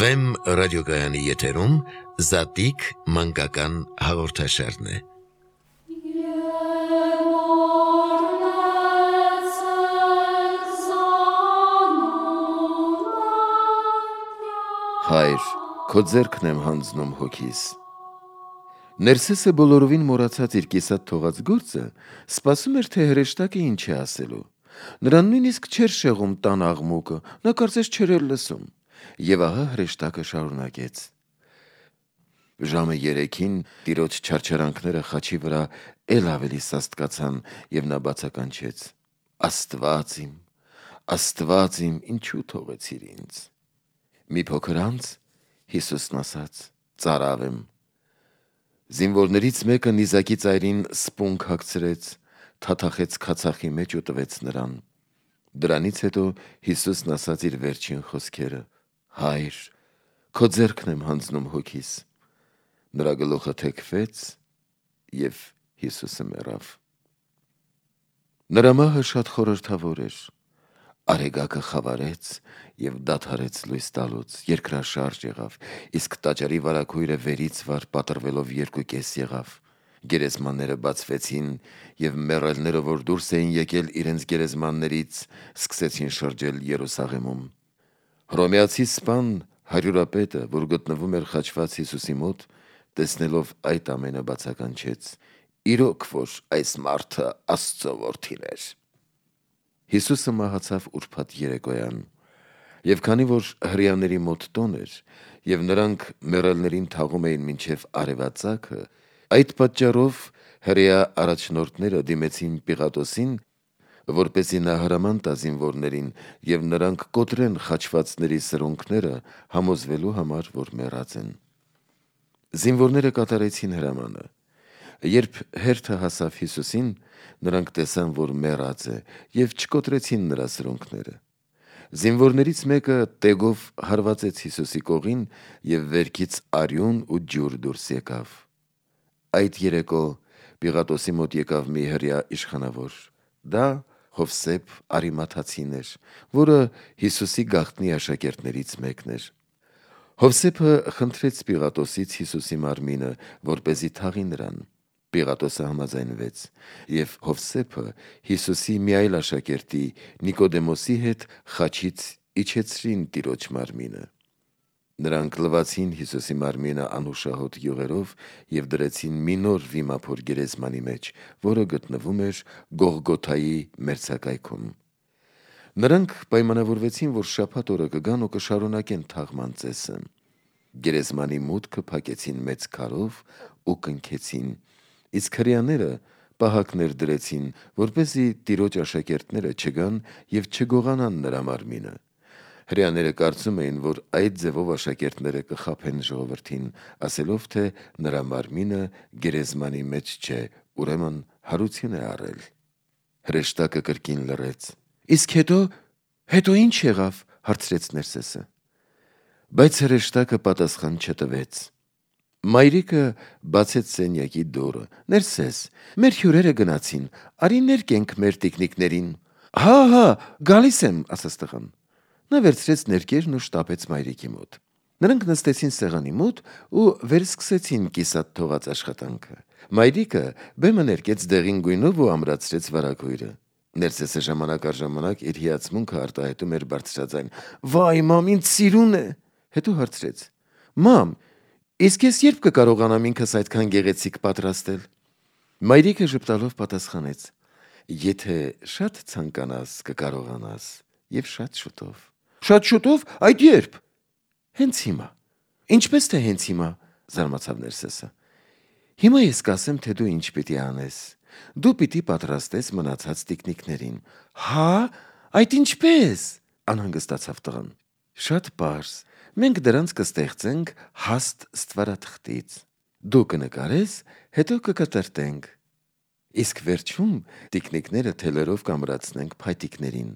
Վեմ ռադիոգայանի եթերում Զատիկ մանկական հաղորդաշարն է։ Հայր, քո ձեռքն եմ հանձնում հոգիս։ Ներսեսը բոլորովին մոռացած իր կիսատ թողած գործը սպասում էր, թե հրեշտակը ինչ է ասելու։ Նրան նույնիսկ չէր շեղում տան աղմուկը, նա կարծես չէր էլ լսում։ Եվ ահա հրեշտակը շարունակեց. Ժամը 3-ին տիրոջ չարչարանքները խաչի վրա էլ ավելի սաստկացան, եւ նա բացականչեց. Աստված իմ, ինչու թողեցիր ինձ։ Մի փոքր անց Հիսուսն ասաց. ծարավ եմ։ Զինվորներից մեկը նիզակի ծայրին սպունգ հագցրեց, թաթախեց քացախի մեջ ու տվեց նրան։ Դրանից հետո Հիսուսն ասաց իր վերջին խոսքերը. Հայր, քո ձեռքն եմ հանձնում հոգիս։ Նրա գլուխը թեքվեց եւ Հիսուսը մեռավ։ Նրա մահը շատ խորհրդավոր էր։ Արեգակը խավարեց եւ դադարեց լույս տալուց, երկրաշարժ եղավ, իսկ տաճարի վարագույրը վերից վար պատռվելով 2.5 եղավ։ Գերեզմանները բացվեցին եւ մեռելները, որ դուրս էին եկել իրենց գերեզմաններից, սկսեցին շրջել Երուսաղեմում։ Հռոմեացի սպան հարյուրապետը, որ գտնվում էր խաչված Հիսուսի մոտ, տեսնելով այդ ամենը բացականչեց. իրոք որ այս մարդը Աստծո որդին էր։ Հիսուսը մահացավ ուրբաթ երեկոյան, եւ քանի որ հրեաների մոտ տոն էր, եւ նրանք մեռելներին թաղում էին մինչև արևածագը, այդ պատճառով հրեա առաջնորդները դիմեցին Պիղատոսին, որպեսզի նա հրաման տա զինվորներին եւ նրանք կոտրեն խաչվածների սրունքները, համոզվելու համար, որ մեռած են։ Զինվորները կատարեցին հրամանը։ Երբ հերթը հասավ Հիսուսին, նրանք տեսան, որ մեռած է, եւ չկոտրեցին նրա սրունքները։ Զինվորներից մեկը տեգով հարվածեց Հիսուսի կողին եւ վերքից արյուն ու ջուր դուրս եկավ։ Այդ երեկո Պիղատոսի մոտ եկավ մի հրեա իշխանավոր։ Դա Հովսեփ Արիմաթացին էր, որը Հիսուսի գաղտնի աշակերտներից մեկն էր։ Հովսեփը խնդրեց Պիղատոսից Հիսուսի մարմինը, որպեսզի թաղի նրան։ Պիղատոսը համաձայնվեց, եւ Հովսեփը Հիսուսի մի այլ աշակերտի Նիկոդեմոսի հետ խաչից իջեցրին տիրոջ մարմինը։ Նրանք լվացին Հիսուսի մարմինը անուշահոտ յուղերով եւ դրեցին մի նոր վիմափոր գերեզմանի մեջ, որը գտնվում էր Գողգոթայի մերձակայքում։ Նրանք պայմանավորվեցին, որ շաբաթ օրը կգան ու կշարունակեն թաղման ծեսը։ Գերեզմանի մուտքը փակեցին մեծ քարով ու կնքեցին, իսկ հրեաները պահակներ դրեցին, որպեսզի տիրոջ աշակերտները չգան եւ չգողանան նրա մարմինը։ Հրեաները կարծում էին, որ այդ ձևով աշակերտները կխաբեն ժողովրդին, ասելով, թե նրա մարմինը գերեզմանի մեջ չէ, ուրեմն հարություն է առել։ Հրեշտակը կրկին լռեց։ Իսկ հետո ինչ եղավ, հարցրեց Ներսեսը։ Բայց հրեշտակը պատասխան չտվեց։ Մայրիկը բացեց սենյակի դուռը։ Ներսես, մեր հյուրերը գնացին, արի ներկենք մեր տիկնիկներին։ Հա, գալիս եմ, ասաց տղան։ Նա վերցրեց ներկերն ու շտապեց մայրիկի մոտ։ Նրանք նստեցին սեղանի մոտ ու վերսկսեցին կիսատ թողած աշխատանքը։ Մայրիկը բեմը ներկեց դեղին գույնով ու ամրացրեց վարագույրը։ Ներսեսը ժամանակ առ ժամանակ իր հիացմունքը արտահայտում էր բարձրաձայն. Վայ, մամ, ինձ սիրուն է։ Հետո հարցրեց. Մամ, իսկ ես երբ կկարողանամ ինքս այդքան գեղեցիկ պատրաստել։ Մայրիկը ժպտալով պատասխանեց. Եթե շատ ցանկանաս, կկարողանաս, եւ շատ շուտով։ Շատ շուտով, այդ երբ։ Հենց հիմա։ Ինչպես թե հենց հիմա, զարմացավ Ներսեսը։ Հիմա ես կասեմ, թե դու ինչ պիտի անես։ Դու պիտի պատրաստես մնացած տիկնիկներին։ Հա, այդ ինչպես, անհանգստացավ տղան։ Շատ պարզ, մենք դրանց կստեղծենք հաստ ստվարաթղթից։ Դու կնկարես, հետո կկտրտենք։ Իսկ վերջում տիկնիկները թելերով կամրացնենք փայտիկներին։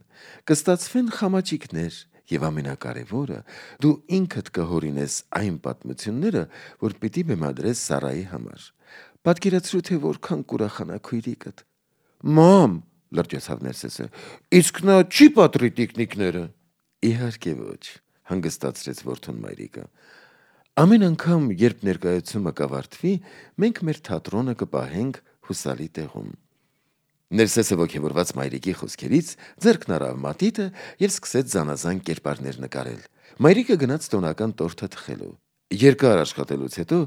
Կստացվեն խամաճիկներ եւ ամենակարևորը, դու ինքդ կհորինես այն պատմությունները, որ պիտի բեմադրես Սարայի համար։ Պատկերացրու, թե որքան կուրախանա քույրիկդ։ Մամ, լրջացավ Ներսեսը, իսկ նա չի պատռի տիկնիկները։ Իհարկե ոչ, հանգստացրեց որդուն մայրիկը։ Ամեն անգամ, երբ ներկայացումը կավարտվի, մենք մեր թատրոնը կպահենք հուսալի տեղում։ Ներսեսը ոգևորված մայրիկի խոսքերից ձեռքն առավ մատիտը եւ սկսեց զանազան կերպարներ նկարել։ Մայրիկը գնաց տոնական տորթը թխելու։ Երկար աշխատելուց հետո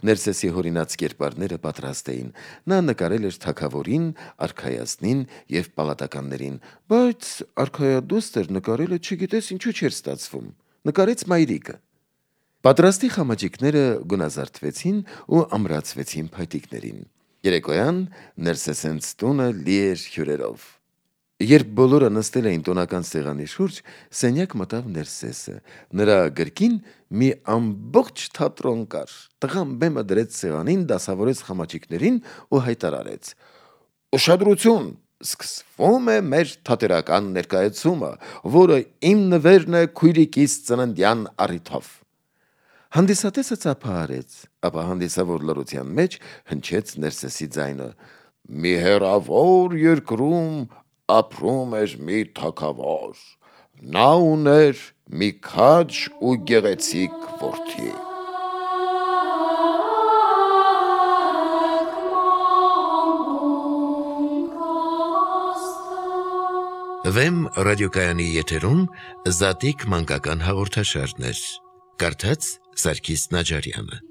Ներսեսի հորինած կերպարները պատրաստ էին։ Նա նկարել էր թագավորին, արքայազնին եւ պալատականներին, բայց արքայադուստր նկարելը չգիտես ինչու չէր ստացվում։ Նկարեց մայրիկը։ Պատրաստի խամաճիկները գունազարդվեցին ու ամրացվեցին փայտիկներին։ Երեկոյան Ներսեսենց տունը լի էր հյուրերով։ Երբ բոլորը նստել էին տոնական սեղանի շուրջ, սենյակ մտավ Ներսեսը։ Նրա գրկին մի ամբողջ թատրոն կար։ Տղան բեմը դրեց սեղանին, դասավորեց խամաճիկներին ու հայտարարեց. «Ուշադրություն, սկսվում է մեր թատերական ներկայացումը, որը իմ նվերն է քույրիկիս ծննդյան առիթով»։ Հանդիսատեսը ծափահարեց, ապա հանդիսավոր լռության մեջ հնչեց Ներսեսի ձայնը. «Մի հեռավոր երկրում ապրում էր մի թագավոր, նա ուներ մի քաջ ու գեղեցիկ որդի»։ Վեմ ռադիոկայանի եթերում Զատիկ մանկական հաղորդաշարներ։ Կարդաց Սարգիս Նաջարյանը։